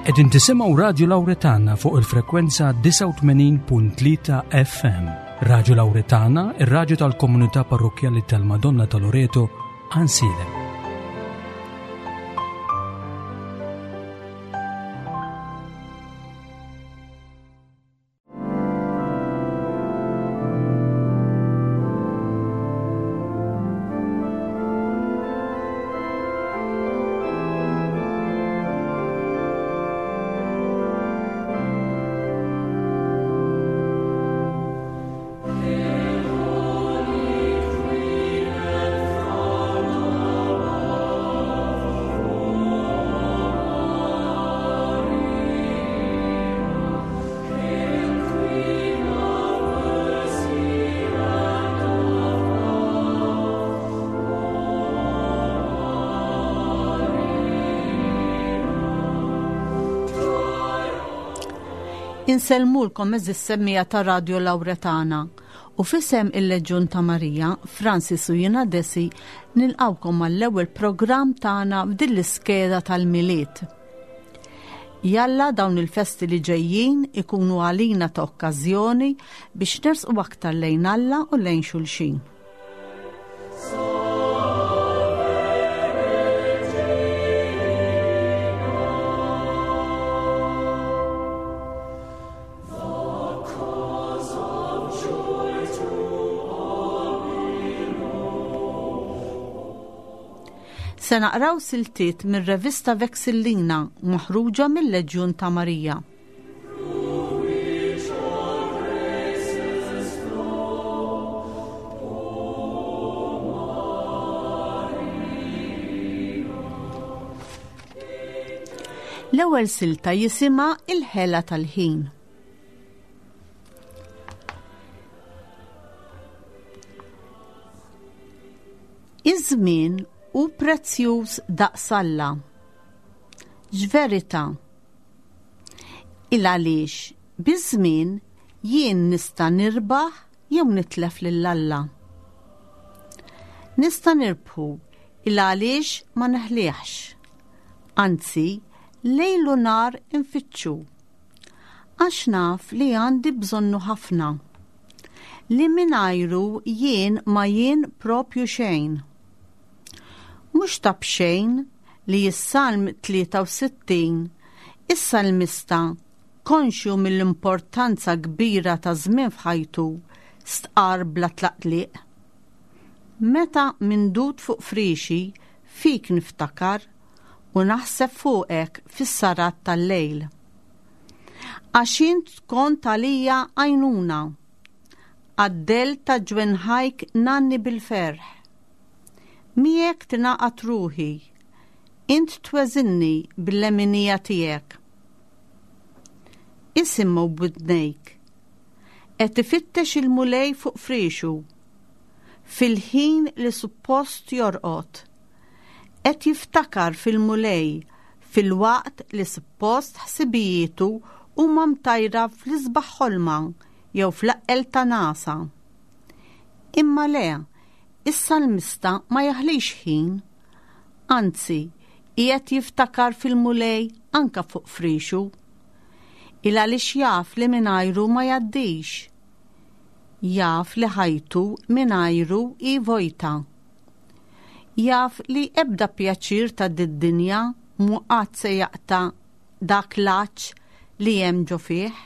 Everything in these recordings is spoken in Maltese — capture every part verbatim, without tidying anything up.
Qegħdin tisimgħu Radio Lauretana fuq il-frekwenza disgħa u tmenin punt tlieta F M. Radio Lauretana, ir-radju tal-Komunità Parrokkjali tal-Madonna ta' Loreto, Għajnsielem. Insellmulkom, għeżież semmiegħa ta' Radio Lauretana, u f'isem il-Leġjun ta' Marija, Francis u jiena Desi nilqgħukom għall-ewwel programm tagħna f'din l-iskeda tal-Milied. Jalla dawn il-festi li ġejjin ikunu għalina ta' okkażjoni biex nersqu aktar lejn Alla u lejn xulxin. Se naqraw siltiet mir-revista Vexillina maħruġa mill-Leġjun ta' Marija. L-ewwel silta jisimha Il-ħela tal-ħin. Iż-żmien hu prezzjuż daqs Alla. X'verità! Il għaliex biż-żmien jien nista' nirbaħ jew nitlef lil Alla. Nista' nirbħu il għaliex ma neħliħx. Anzi, lejl u nhar infittxu. Għax naf li għandi bżonnu ħafna. Li mingħajru jien ma jien propju xejn. Mhux ta' b'xejn li s-Salm tlieta u sittin, is-salmista, konxju mill-importanza kbira ta' żmien f'ħajtu, stqar bla tlaqliq: "Meta mindud fuq frixi, fik niftakar u naħseb fuqek fis-sarat tal-lejl. Għax int kont għalija għajnuna, għad-dell ta' ġwenħajk ngħanni bil-ferħ. Miegħek tingħaqad ruħi, int tweżinni bil-leminija tiegħek." Isimgħu b'widnejk. Qed ifittex il-Mulej fuq frixu, fil-ħin li suppost jorqod. Qed jiftakar fil-Mulej fil-waqt li suppost ħsibijietu huma mtajra fl-isbaħ ħolma jew fl-eqqel ta' nagħsa. Imma le, is-salmista ma jaħlix ħin, anzi, qiegħed jiftakar fil-Mulej anka fuq frixu. Il għaliex jaf li mingħajru ma jgħaddix. Jaf li ħajtu mingħajru hi vojta. Jaf li ebda pjaċir ta' did-dinja mhu qatt se jaqta' dak l-għatx li hemm ġo fih.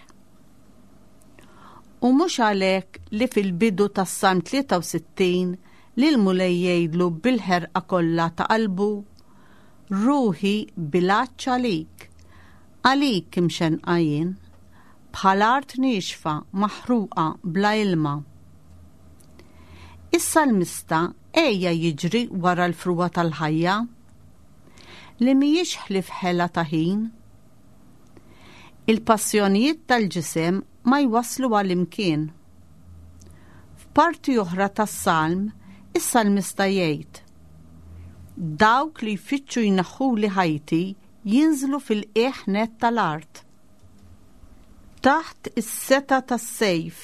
U mhux għalhekk li fil-bidu tas-Salm tlieta u sittin li l-Mulej jgħidlu bil-ħerqa kollha ta' qalbu: "Ruħi bil-għatx għalik, għalik imxenqa jien, bħal art niexfa maħruqa bla ilma." Is-salmista għeja jiġri wara l-frugħa tal-ħajja li mhijiex ħlief ħela ta' ħin. Il-passjonijiet tal-ġisem ma jwaslu għal imkien. F'parti oħra tas-salm, is-salmista jgħid: "Dawk li jfittxu jneħħuli ħajti jinżlu fil-qiegħ net tal-art. Taħt is-setgħa tas-sejf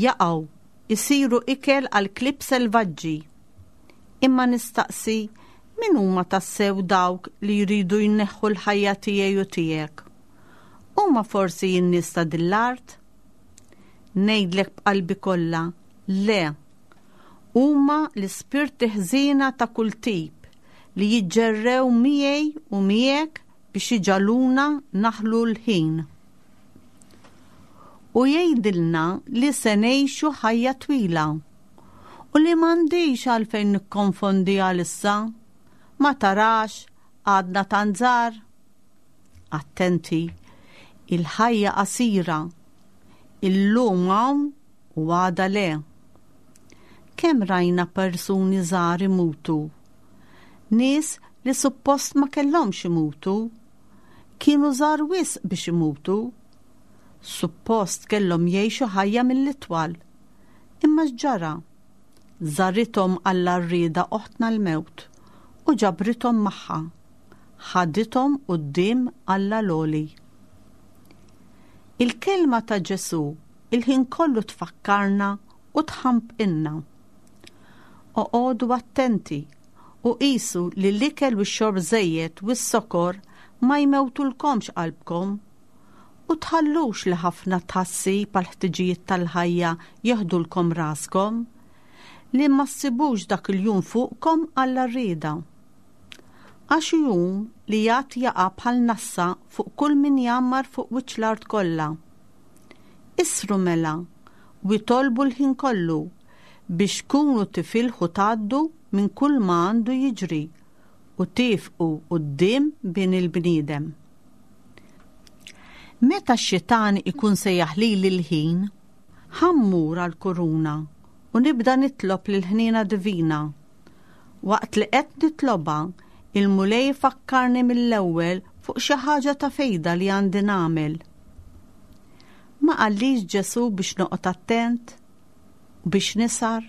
jaqgħu, isiru ikel għal klieb selvaġġi." Imma nistaqsi, Min huma tassew dawk li jridu jneħħu l-ħajja tiegħi u tiegħek? Huma forsi n-nies ta' din l-art? Ngħidlek b'qalbi kollha, le. Huma l-ispirti ħżiena ta' kull tip li jiġġerrew miegħi u miegħek biex iġagħluna naħlu l-ħin. U jgħidilna li se ngħixu ħajja twila u li m'għandix għalfejn nikkonfondi għalissa. Ma tarax għadna tanżar. Attenti, il-ħajja qasira, illum hawn u għada le. Kemm rajna persuni żgħar imutu? Nies li suppost ma kellhomx imutu, kienu żgħar wisq biex imutu. Suppost kellhom jgħixu ħajja mill-itwal. Imma x'ġara? Żarithom għall-għarrieda oħtna l-mewt u ġabrithom magħha, ħadithom quddiem Alla l-Għoli. Il-kelma ta' Ġesù il-ħin kollu tfakkarna u tħampqinna. Oqogħdu attenti u qisu li l-ikel u x-xorb żejjed u s-sokor ma jmewtulkomx qalbkom u tħallux li ħafna tħassib għal ħtiġijiet tal-ħajja jeħdulkom raskom li ma ssibux dak il-jum fuqkom għall-għarrieda. Għax jum li jgħad jaqa' bħal nassa fuq kull min jgħammar fuq wiċċ l-art kollha. Isru mela u jitolbu l-ħin kollu biex tkunu tifilħu tgħaddu minn kull ma għandu jiġri u tifqu quddiem bin il-bniedem. Meta x-xitan ikun se jaħlili l-ħin, ħa mmur għall-kuruna u nibda nitlob lill-ħniena divina. Waqt li qed nitlobha, il-Mulej fakkarni mill-ewwel fuq xi ħaġa ta' fejda li għandi nagħmel. Ma qallix Ġesù biex noqgħod attent u biex nisar?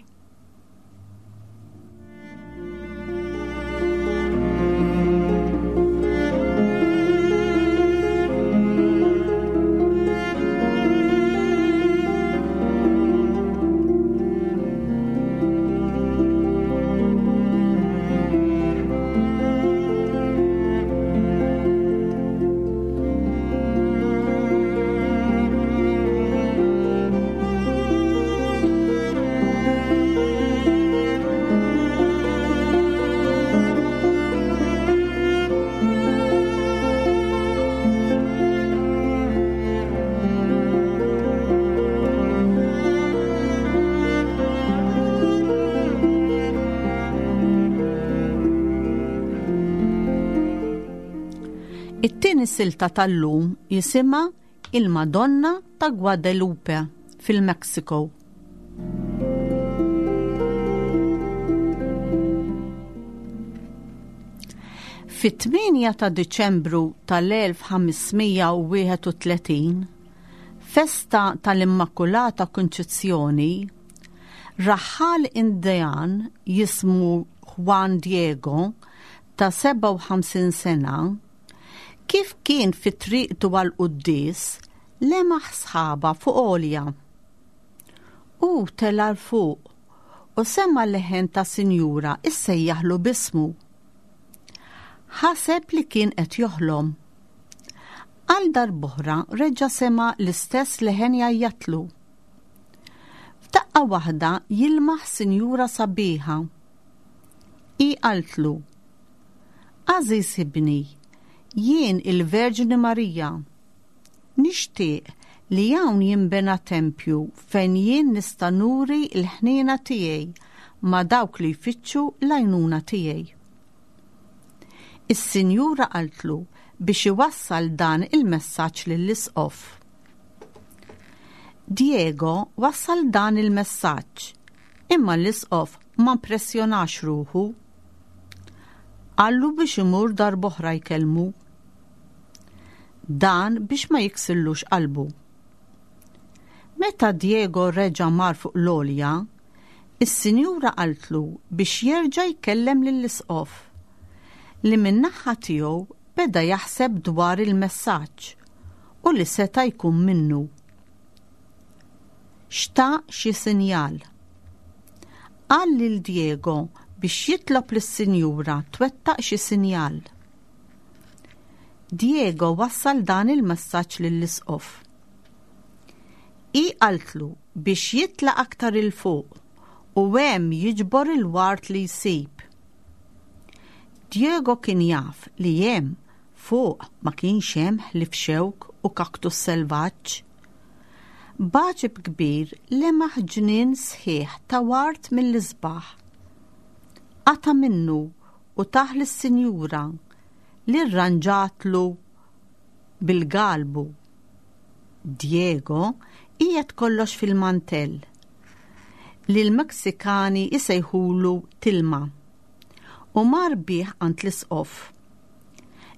It-tieni silta tal-lum jisimha Il-Madonna ta' Guadalupe fil-Mexico. Fit-tmienja ta' Diċembru tal-elf ħamesmija u wieħed u tletin, festa tal-Immakulata Kunċizzjoni, raħħal Indijan jismu Juan Diego ta' sebgħa u ħamsin sena, kif kien fi triqtu għal quddies, lemaħ sħaba fuq għolja. U tela' 'l fuq u sema' leħen ta' sinjura issejjaħlu b'ismu. Ħaseb li kien qed joħlom. Għal darb'oħra reġa' sema' l-istess leħen jgħajjatlu. F'daqqa waħda jilmaħ sinjura sabiħa. Hi qaltlu: Għażiż ibni, jien il-Verġni Marija. Nixtieq li hawn jinbena tempju fejn jien nista' nuri l-ħniena tiegħi ma' dawk li jfittxu l-għajnuna tiegħi. Is-sinjura qaltlu biex iwassal dan il-messaġġ lill-isqof. Diego wassal dan il-messaġġ, imma l-isqof ma impressjonax ruħu. Qallu biex imur darb'oħra jkellmu. Dan biex ma jiksillux qalbu. Meta Diego reġa' mar fuq l-għolja, is-sinjura qaltlu biex jerġa' jkellem lill-isqof, li min-naħa tiegħu beda jaħseb dwar il-messaġġ u li seta' jkun minnu. Xtaq xi sinjal. Qal lil Diego biex jitlob lis-sinjura twettaq xi sinjal. Diego wassal dan il-messaġġ lill-isqof. Hi qaltlu biex jitla' aktar 'il fuq u hemm jiġbor il-ward li jsib. Diego kien jaf li hemm fuq ma kienx hemm ħlief xewk u kaktus selvaġġ. B'għaġeb kbir lemaħ ġnien sħiħ ta' ward mill-isbaħ. Qata' minnu u tah lis-sinjura li rranġatlu bil-galbu. Diego qiegħed kollox fil-mantell li l-Meksikani jsejħulu tilma u mar bih għand l-isqof.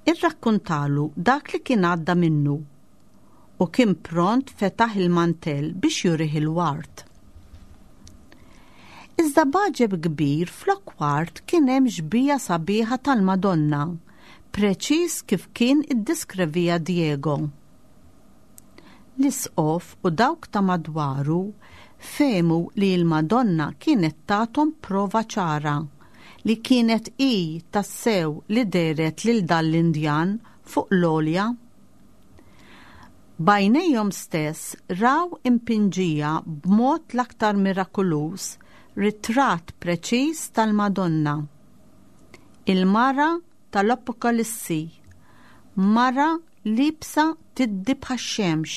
Irrakkuntalu dak li kien għadda minnu u kien pront fetaħ il-mantell biex jurih il-ward. Iżda b'għaġeb kbir flok ward kien hemm xbieha sabiħa tal-Madonna, preċiż kif kien iddiskrivieha Diego. L-isqof u dawk ta' madwaru fehmu li l-Madonna kienet tathom prova ċara li kienet hi tassew li dehret lil dan l-Indjan fuq l-għolja. B'għajnejhom stess raw impinġija b'mod l-aktar mirakoluż ritratt preċiż tal-Madonna. Il-mara tal-Apokalissi, mara liebsa tiddi bħax-xemx,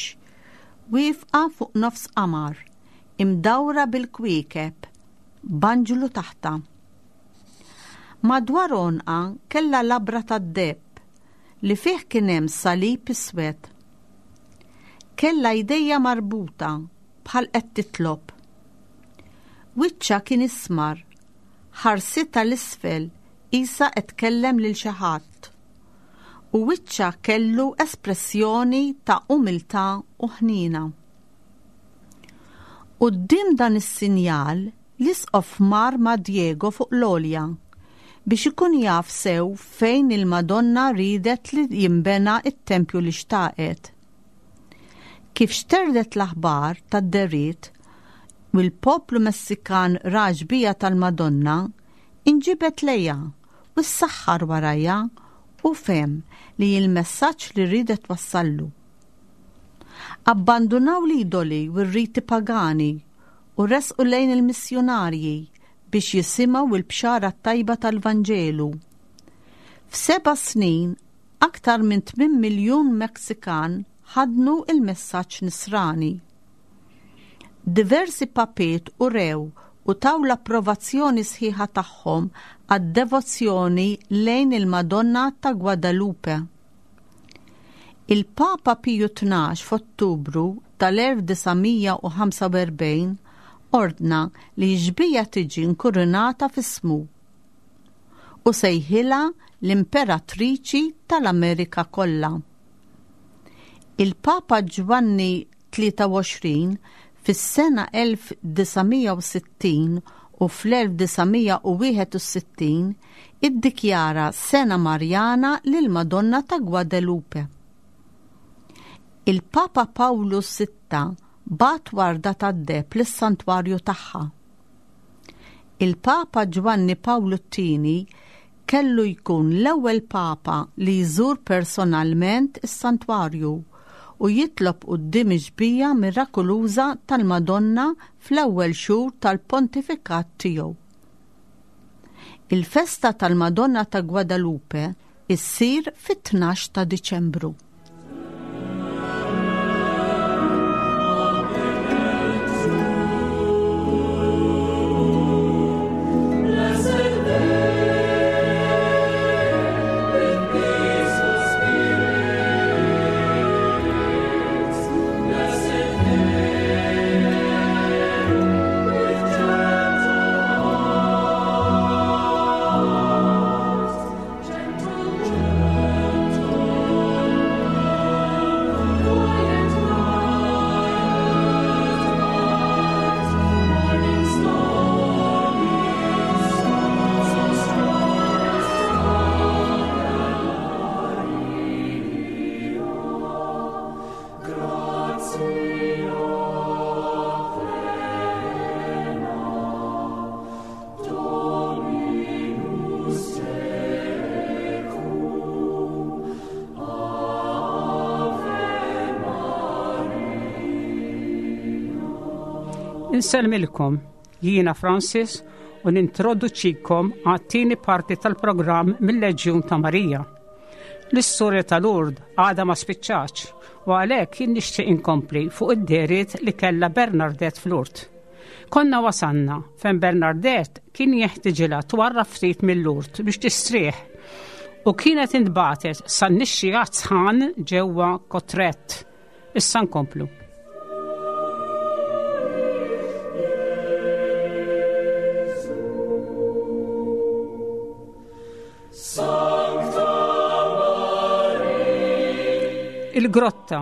wieqfa fuq nofs qamar, imdawra bil-kwiekeb, b'anġlu taħtha. Madwar għonqha kellha labra tad-deheb li fih kien hemm salib iswed. Kellha jdejha marbuta bħal qed titlob. Wiċċha kien ismar, ħarsitha 'l isfel qisha qed tkellem lil xi ħadd. U wiċċha kellu espressjoni ta' umiltà u ħnina. Quddiem dan is-sinjal, l-isqof mar ma' Diego fuq l-għolja biex ikun jaf sew fejn il-Madonna ridet li jimbena it-tempju li xtaqet. Kif xterdet l-aħbar tad-dehriet u l-poplu Messikan ra x-xbieha tal-Madonna, inġibed lejha u ssaħħar warajha u fehem li il-messaġġ li ridet twassallu. Abbandunaw l-idoli u r-riti pagani u resqu lejn il-missjunarji biex jisimgħu il-bxara tajba tal-Vanġelu. F'seba' snin, aktar minn tmien miljun Meksikan ħadnu il-messaġġ nisrani. Diversi papiet urew u taw l-approvazzjoni sħiħa tagħhom għad-devozzjoni lejn il-Madonna ta' Guadalupe. Il-Papa Piju Tnax f'Ottubru tal-elf disa' mija u ħamsa u erbgħin ordna li x-xbieha tiġi nkurunata f'ismu u sejħilha l-Imperatriċi tal-Amerika kollha. Il-Papa Ġwanni tlieta u għoxrin fis-sena elf disa' mija u sittin u fl-elf disa' mija u wieħed u sittin iddikjara Sena Marjana lil Madonna ta' Guadalupe. Il-Papa Pawlu sitta bagħat warda tad-deheb lis-santwarju tagħha. Il-Papa Ġwanni Pawlu t-tieni kellu jkun l-ewwel Papa li jżur personalment is-santwarju u jitlob quddiem ix-xbieha mirakoluża tal-Madonna fl-ewwel xhur tal-pontifikat tiegħu. Il-festa tal-Madonna ta' Guadalupe issir fit-tnax ta' Diċembru. Gentle, gentle. Insellmilkom, jiena Francis u nintroduċikom għat-tieni parti tal-programm mill-Leġjun ta' Marija. L-istorja ta' Lourdes għadha ma spiċċatx u għalhekk jien nixtieq inkompli fuq id-dehriet li kellha Bernardette f'Lourdes. Konna wasanna fejn Bernardette kien jeħtiġilha twarrab ftit minn Lourdes biex tistrieħ u kienet intbagħtet san-nixxigħat sħan ġewwa Cauterets. Issa nkomplu. Il-grotta.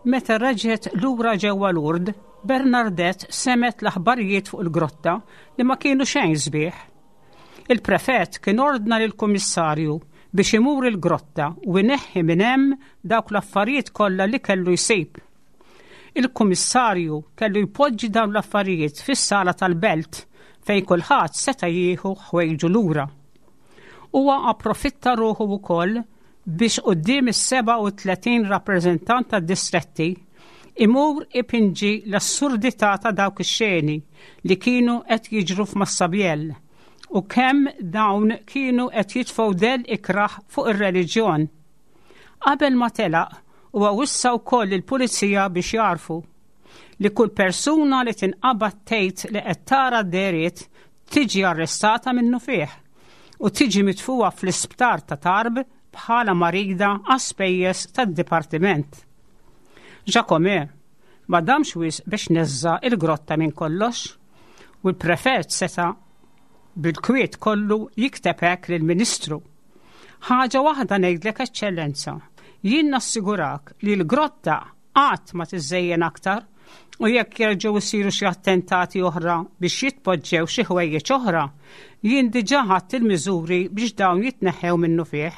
Meta reġgħet lura ġewwa Lourdes, Bernardette semgħet l-aħbarijiet fuq il-grotta li ma kienu xejn sbieħ. Il-prefett kien ordna lill-kummissarju biex imur il-grotta u jneħħi minn hemm dawk l-affarijiet kollha li kellu jsib. Il-kummissarju kellu jpoġġi dawn l-affarijiet fis-sala tal-belt fejn kulħadd seta' jieħu ħwejġu lura. Huwa approfitta ruħu wkoll biex quddiem is-sebgħa u tletin rappreżentant tad-distretti imur ipinġi l-assurdità ta' dawk ix-xeni li kienu qed jiġru f'Massabielle u kemm dawn kienu qed jitfgħu dell ikraħ fuq ir-reliġjon. Qabel ma telaq huwa wissa wkoll il-pulizija biex jarfu li kull persuna li tinqabad tgħid li qed tara d-dehriet tiġi arrestata minnufih u tiġi mitfuha fl-isptar ta' Tarbes bħala marida għas-spejjeż tad-dipartiment. Jacomet ma damx wisq biex neżża il-grotta minn kollox u l-prefett seta bil-kwiet kollu jikteb hekk lill-Ministru. "Ħaġa waħda ngħidlek, Eċċellenza, jien nassigurak li l-grotta qatt ma tiżejjen aktar u jekk jerġgħu jsiru xi attentati oħra biex jitpoġġew xi ħwejjeġ oħra, jien diġà ħadt il-miżuri biex dawn jitneħħew minnufih."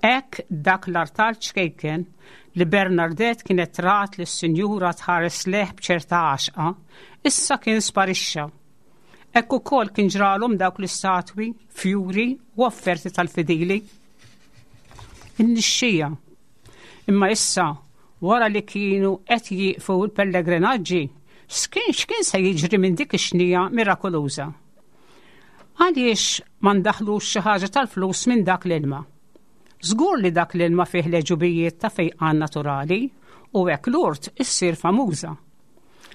Hekk dak l-artal ċkejken li Bernardette kienet rat li s-sinjura tħares lejh b'ċerta għaxqa, issa kien sparixxa. Hekk ukoll kien ġralhom dawk l-istatwi, fjuri u offerti tal-fidili. In-nixxija. Imma issa, wara li kienu qed jieqfu l-pellegrinaġġi, x'kien x'kien se jiġri minn dik ix-xnija mirakoluża? Għaliex ma ndaħlux xi ħaġa tal-flus minn dak l-ilma? Żgur li dak l-ilma fih l-għeġubijiet ta' fejqan naturali u hekk Lourdes issir famuża.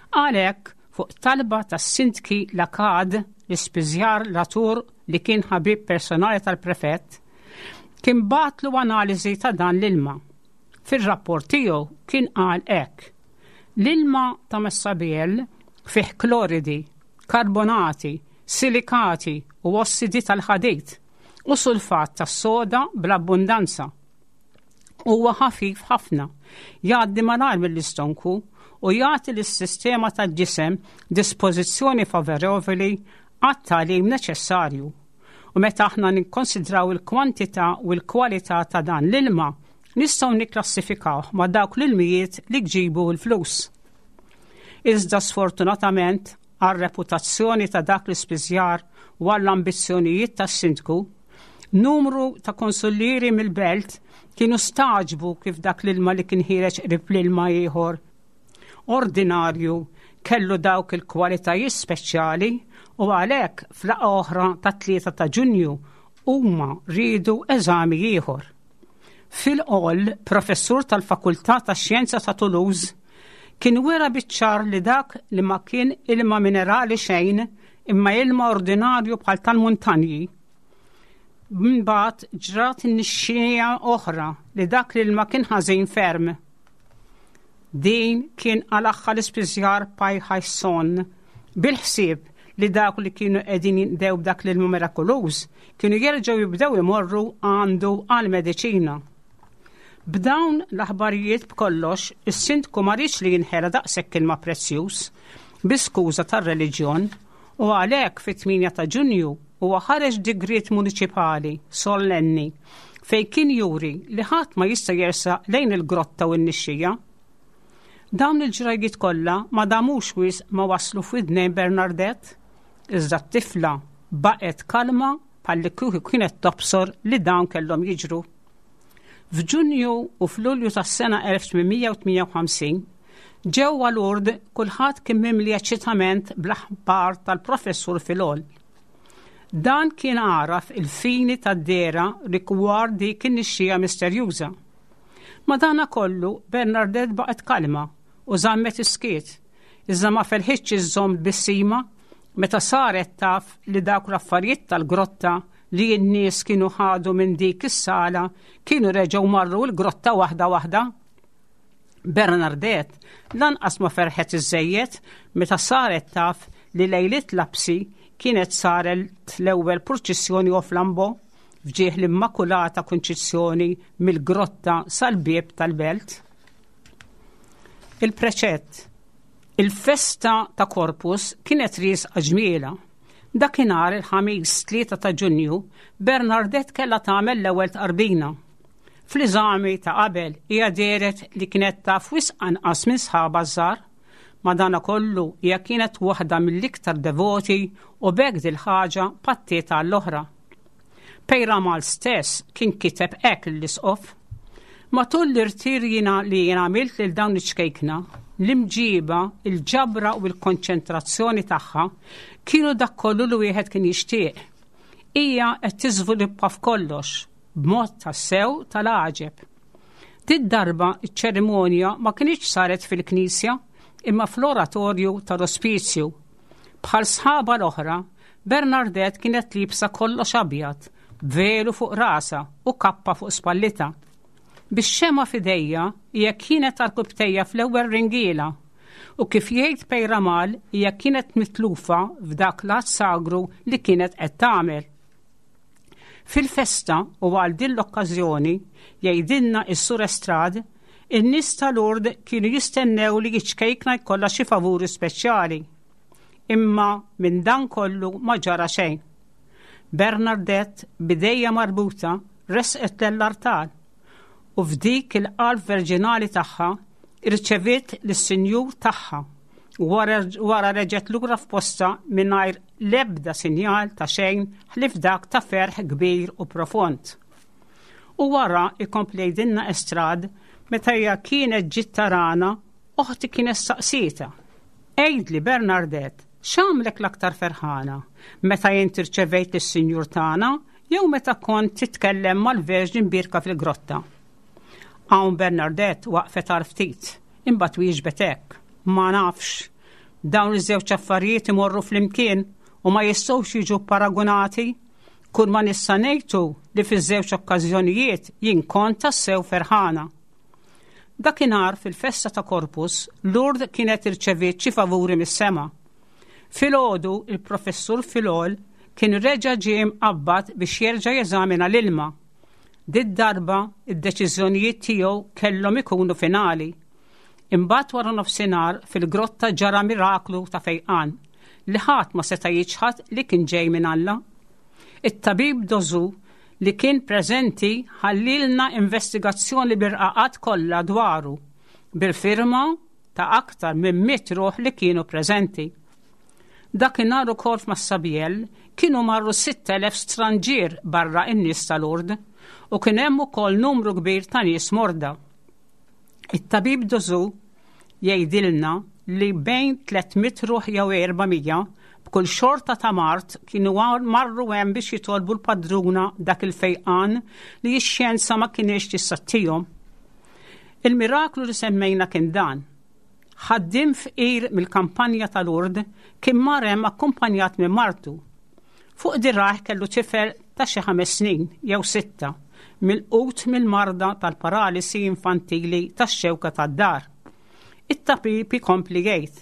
Għalhekk, fuq talba tas-sindki Lacade, l-ispiżjar Latour li kien ħabib personali tal-prefett, kien bagħatlu analiżi ta' dan l-ilma. Fil-rapport tiegħu kien qal hekk: "L-ilma ta' Massabielle fih kloridi, karbonati, silikati u ossidi tal-ħadid u sulfat tas-soda bl-abbundanza. Huwa ħafif ħafna, jgħaddi malajr mill-istonku u jagħti lis-sistema tal-ġisem dispożizzjoni favorevoli għat-tagħlim neċessarju. U meta aħna nikkonsidraw il-kwantità u l-kwalità ta' dan l-ilma, nistgħu nikklassifikaw ma' dawk l-ilmijiet li jġibu l-flus." Iżda sfortunatament għar-reputazzjoni ta' dak l-ispiżjar u għall-ambizzjonijiet tas-sindku, numru ta' konsullieri mill-belt kienu stagħġbu kif dak l-ilma li kien ħiereġ qrib l-ilma ieħor ordinarju kellu dawk il-kwalitajiet speċjali u għalhekk f'laqgħa oħra ta' tlieta ta' Ġunju huma riedu eżami ieħor. Filhol, professur tal-Fakultà tax-Xjenza ta' Toulouse, kien wera biċ-ċar li dak li ma kien ilma minerali xejn imma ilma ordinarju bħal tal-muntanji. Mbagħad ġrat nixxija oħra li dak li ilma kien ħażin ferm. Din kien qalagħha l-ispiżjar Pajħajson bil-ħsieb li dawk li kienu qegħdin jinqdew b'dak l-ilma mirakoluż kienu jerġgħu jibdew imorru għandu għal-mediċina. B'dawn l-aħbarijiet b'kollox, is-sindku ma riedx li jinħela daqshekk ilma prezzjuż bi skuża tar-reliġjon u għalhekk fit-tmienja ta' Ġunju huwa ħareġ digriet municipali sollenni fej kien juri li ħadd ma jista' jersaq lejn il-grotta u n-nixxija. Dawn il-ġrajjiet kollha ma damux wisq ma waslu f'widnejn Bernardette, iżda t-tifla baqgħet kalma bħalli kieku kienet tobsor li dawn kellhom jiġru. F'Ġunju u f'Lulju tas-sena elf tmien mija u tmienja u ħamsin Ġewwa Lourdes kulħadd kien mimli eċċitament bl-aħbar tal-professur Filol. Dan kien għaraf il-fini tad-dehra rigward dik in-nixxija misterjuża. Madana kollu Bernadette baqgħet kalma u żammet is-skiet, iżda ma felħitx iżżomm tbissima meta saret taf li dawk l-affarijiet tal-grotta li n-nies kienu ħadu minn dik is-sala kienu reġgħu marru l-grotta waħda waħda. Bernadette lanqas ma ferħet iżejjed meta saret taf li lejliet lapsi kienet saret l-ewwel purċissjoni u flambo f'ġieħ l-Immakulata Kunċizzjoni mill-grotta sal-bieb tal-belt. Il-preċett. Il-festa ta' Corpus kienet riesqa ġmiela. Dakinhar il-Ħamis tlieta ta' Ġunju, Bernadette kellha tagħmel l-ewwel tqarbina. Fl-eżami ta' qabel hija dehret li kienet taf wisq anqas minn sħabha żgħar. Madana kollu hija kienet waħda mill-iktar devoti u b'hekk dil-ħaġa pattiet għall-oħra. Peyramale stess kien kiteb hekk l-isqof. Matul l-irtir jiena li jien għamilt lil dawn iċ-ċkejkna, l-imġiba, il-ġabra u l-konċentrazzjoni tagħha kienu dak kollu li wieħed kien jixtieq. Hija qed tiżviluppa f'kollox b'mod tassew tal-għaġeb. Did darba iċ-ċerimonja ma kinitx saret fil-knisja imma fl-oratorju tal-ospizju. Bħal sħaba l-oħra, Bernadette kienet liebsa kollox abjad, velu fuq rasha u kappa fuq spallitha. Bix-xemgħa f'idejha hija kienet għarkupptejha fl-ewwel ringiela u kif jgħid Peyramale hija kienet mitlufa f'dak l-att sagru li kienet qed tagħmel. Fil-festa u għal din l-okkażjoni jgħidilna is-Sur Estrad, in-nies ta' Lourdes kienu jistennew li ċ-ċkejkna jkollha xi favuri speċjali. Imma minn dan kollu ma ġara xejn. Bernadette b'idejha marbuta resqet l-artal u f'dik il-qalb verġinali tagħha irċeviet lis-Sinjur tagħha u wara reġgħet lura f'posta mingħajr l-ebda sinjal ta' xejn ħlief dak ta' ferħ kbir u profond. U wara, ikompli jgħidilna Estrad, meta hija kienet ġiet tarana, oħti kienet saqsietha: "Għidli Bernadette, x'għamlek l-aktar ferħana? Meta jien irċevejt lis-Sinjur tagħna jew meta kont titkellem mal-Verġni Mbierka fil-grotta?" Hawn Bernadette waqfet għal ftit, imbagħad wieġbet hekk: "Ma nafx, dawn iż-żewġ affarijiet imorru flimkien u ma jistgħux jiġu paragunati. Kull ma nista' ngħidu li fiż-żewġ okkażjonijiet jien kont tassew ferħana." Dakinhar fil-festa ta' Corpus, Lourdes kienet irċeviet xi favuri mis-sema. Filgħodu il-professur Filol kien reġa' ġie mqabbad biex jerġa' jeżamina l-ilma. Did darba id-deċiżjonijiet tiegħu kellhom ikunu finali. Imbagħad wara nofsinhar fil-grotta ġara miraklu ta' fejqan li ħadd ma seta' jiċħad li kien ġej minn Alla. It-tabib Dozu li kien preżenti ħallielna investigazzjoni bir-raqat kollha dwaru bil-firma ta' aktar minn mitt ruħ li kienu preżenti. Dakinhar ukoll f'Massabielle kienu marru sitt elef stranġier barra in-nies tal-Lourdes u kien hemm ukoll numru kbir ta' nies morda. It-tabib Dozu jgħidilna li bejn tliet mitt ruħ jew erba' mija b'kull xorta ta' mard kienu marru hemm biex jitolbu l-padruna dak il-fejqan li x-xjenza ma kinitx tista' ttihom. Il-miraklu li semmejna kien dan. Ħaddim fqir mill-kampanja tal-Lourdes kien mar hemm akkumpanjat minn martu. Fuq dirgħajh kellu tifel ta' xi ħames snin jew sitta, milqut mill-marda tal-paralisi infantili tax-xewka tad-dahar. It-tabib ikompli jgħid: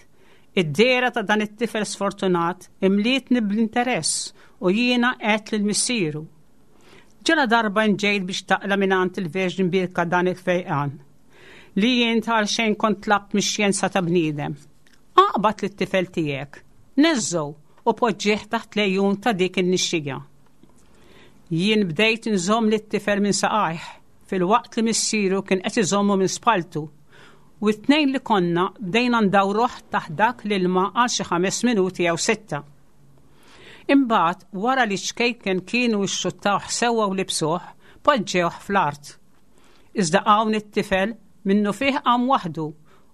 "Id-dehra ta' dan it-tifel sfortunat imlietni bl-interess u jiena għedt lil missieru: Ġala darba nġejt biex taqla' mingħand il-Verġni Mbierka dan il-fejqan li jien tal xejn kont tlabt mix-xjenza ta' bniedem. Aqbad lit-tifel tiegħek, neżżgħu u poġġih taħt l-għejun ta' dik in-nixxija." Jien bdejt nżomm lit-tifel minn saqajh filwaqt li missieru kien qed iżommu minn spaltu u t-tnejn li konna bdejna ndawruh taħt dak l-ilma għal xi ħames minuti jew sitta. Imbagħad wara li ċkejken kienu xxuttawh sewwa u libsuh, poġġewh fl-art. Iżda hawn it-tifel minnufih qam waħdu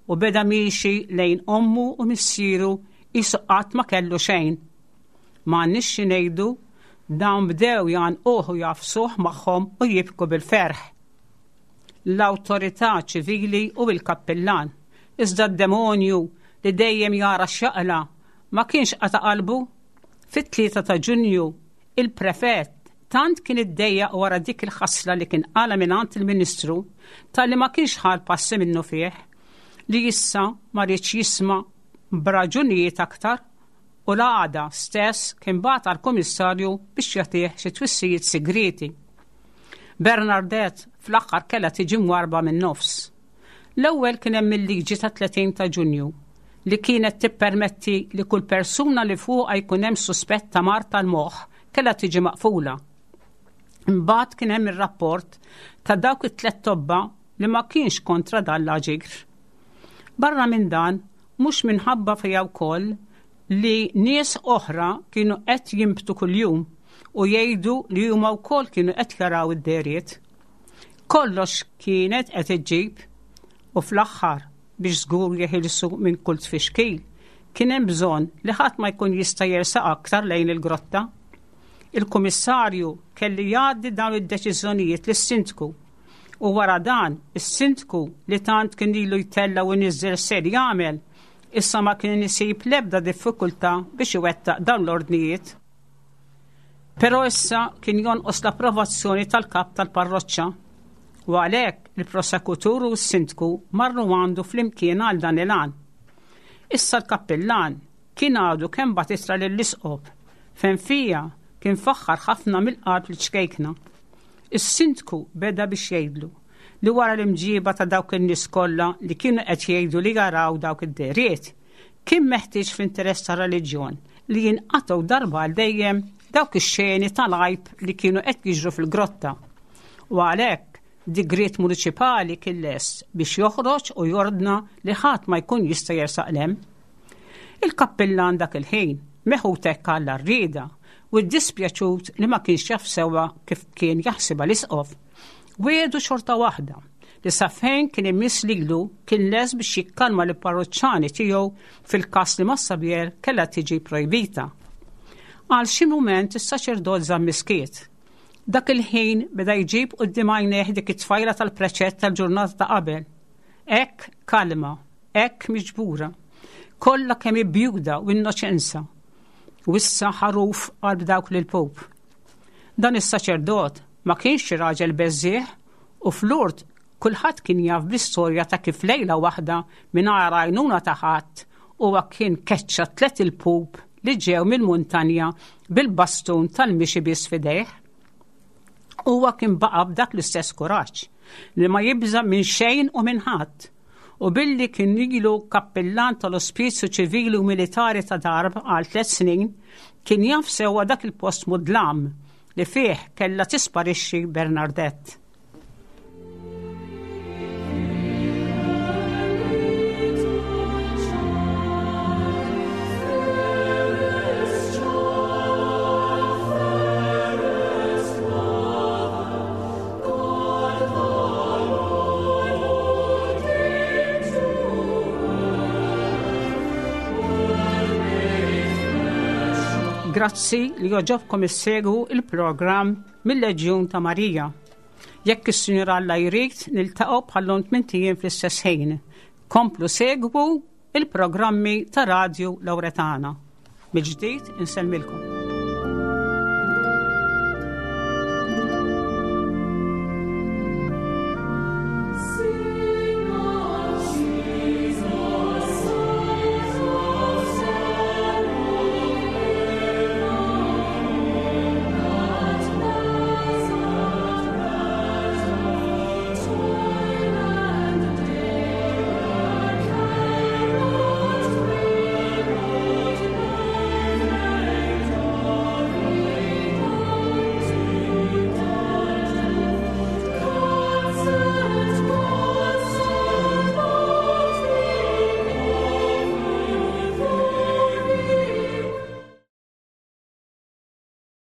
u beda miexi lejn ommu u missieru qisu qatt ma kellu xejn. M'għandniex xi ngħidu, dawn bdew jgħannquh u jagħfsuh magħhom u jibku bil-ferħ. L-awtorità ċivili u l-kappillan, iżda d-demonju li dejjem jara x'jaqla' ma kienx qata' qalbu. Fit-tlieta ta' Ġunju, il-prefett tant kien iddejjaq wara dik il-ħasla li kien qala mingħand il-Ministru talli ma kienx ħa l-passi minnufih, li issa ma riedx jisma' b'raġunijiet aktar u l-għada stess kien bagħat għall-Kummissarju biex jagħtih xi twissijiet sigrieti. Bernadette fl-aħħar kellha tiġi mwarba min-nofs. L-ewwel kien hemm il-liġi ta' tletin ta' Ġunju li kienet tippermetti li kull persuna li fuqha jkun hemm suspett ta' mard tal-moħħ kellha tiġi maqfula. Imbagħad kien hemm ir-rapport ta' dawk it-tliet tobba li ma kienx kontra dan l-aġir. Barra minn dan, mhux minħabba fiha wkoll li nies oħra kienu qed jinbtu kuljum u jgħidu li huma wkoll kienu qed jaraw id-dehriet. Kollox kienet qed iġġib u fl-aħħar biex żgur jeħilsu minn kull tfixkil, kien hemm bżonn li ħadd ma jkun jista' jersaq aktar lejn il-grotta. Il-kummissarju kelli jgħaddi dawn id-deċiżjonijiet lis-sindku u wara dan is-sindku li tant kien ilu jtella' u jniżżel ser jagħmel, issa ma kien isib l-ebda diffikultà biex iwettaq dawn l-ordnijiet. Però issa kien jonqos l-approvazzjoni tal-kap tal-parroċċa u għalhekk il-prosekutur u s-sindku marru għandu flimkien għal dan il-għan. Issa l-kappillan kien għadu kemm bagħat ittra lill-isqof fejn fiha kien faħħar ħafna mill-qalb liċ-ċkejkna. Is-sindku beda biex jgħidlu li wara l-imġiba ta' dawk in-nies kollha li kienu qed jgħidu li jaraw dawk id-dehriet, kien meħtieġ fl-interess tar-reliġjon li jinqatgħu darba għal dejjem dawk ix-xeni tal-għajb li kienu qed jiġru fil-grotta. U għalhekk digriet municipali kien lest biex joħroġ u jordna li ħadd ma jkun jista' jersaq lem. Il-kappillan dak il-ħin meħud hekk għall-għarrieda u ddispjaċut li ma kienx jaf sewwa kif kien jaħsibha l-isqof. Wiegħdu xorta waħda li sa fejn kien imiss lilu kien lest biex jikkalma l-parroċċani tiegħu fil-każ li Massabielle kellha tiġi projbita. Għal xi mument is-saċerdot żamm miskiet. Dak il-ħin beda jġib quddiem għajnejh dik it-tfajla tal-preċett tal-ġurnata ta' qabel. Hekk kalma, hekk miġbura, kollha kemm ibjuda u innoċenza. U issa ħaruf qalb dawk l-ilpup. Dan is-saċerdot ma kienx xi raġel beżżieħ u fl-Lourdes kulħadd kien jaf bl-istorja ta' kif lejla waħda mingħajr għajnuna ta' ħadd huwa kien keċċa tliet ilpup li ġew mill-muntanja bil-bastun tal-mixi biss f'idejh. Huwa kien baqa' b'dak l-istess kuraġġ li ma jibża' minn xejn u minn ħadd. U billi kien ilu kappillan tal-Ospizju Ċivili u Militari ta' Tarbes għal tliet snin, kien jaf sewwa dak il-post mudlam li fih kellha tisparixxi Bernadette. Grazzi li joġobkom issegwu il-programm mill-Leġjun ta' Marija. Jekk is-Sinjur Alla jrid, niltaqgħu bħal-lum tmint ijiem fl-istess ħin. Komplu segwu il-programmi ta' Radju Lawretana. Mill-ġdid insellmilkom.